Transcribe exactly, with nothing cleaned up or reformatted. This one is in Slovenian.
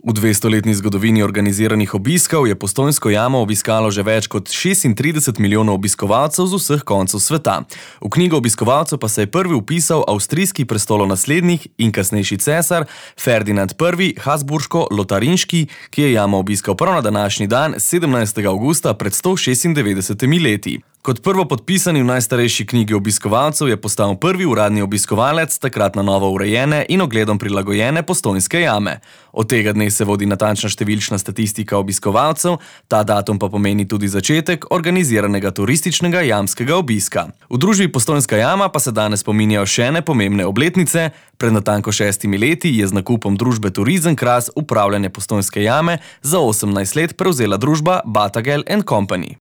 V dvestoletni zgodovini organiziranih obiskov je Postojnsko jamo obiskalo že več kot šestintrideset milijonov obiskovalcev z vseh koncev sveta. V knjigo obiskovalcev pa se je prvi vpisal avstrijski prestolonaslednik in kasnejši cesar Ferdinand I. Habsburško-Lotarinški, ki je jamo obiskal prav na današnji dan, sedemnajstega avgusta pred sto šestindevetdesetimi leti. Kot prvo podpisani v najstarejši knjigi obiskovalcev je postal prvi uradni obiskovalec takrat na novo urejene in ogledom prilagojene Postojnske jame. Od tega dne se vodi natančna številčna statistika obiskovalcev, ta datum pa pomeni tudi začetek organiziranega turističnega jamskega obiska. V družbi Postojnska jama pa se danes spominjajo še ene pomembne obletnice. Pred natanko šestimi leti je z nakupom družbe Turizem Kras upravljanje Postojnske jame za osemnajst let prevzela družba Batagel and Company.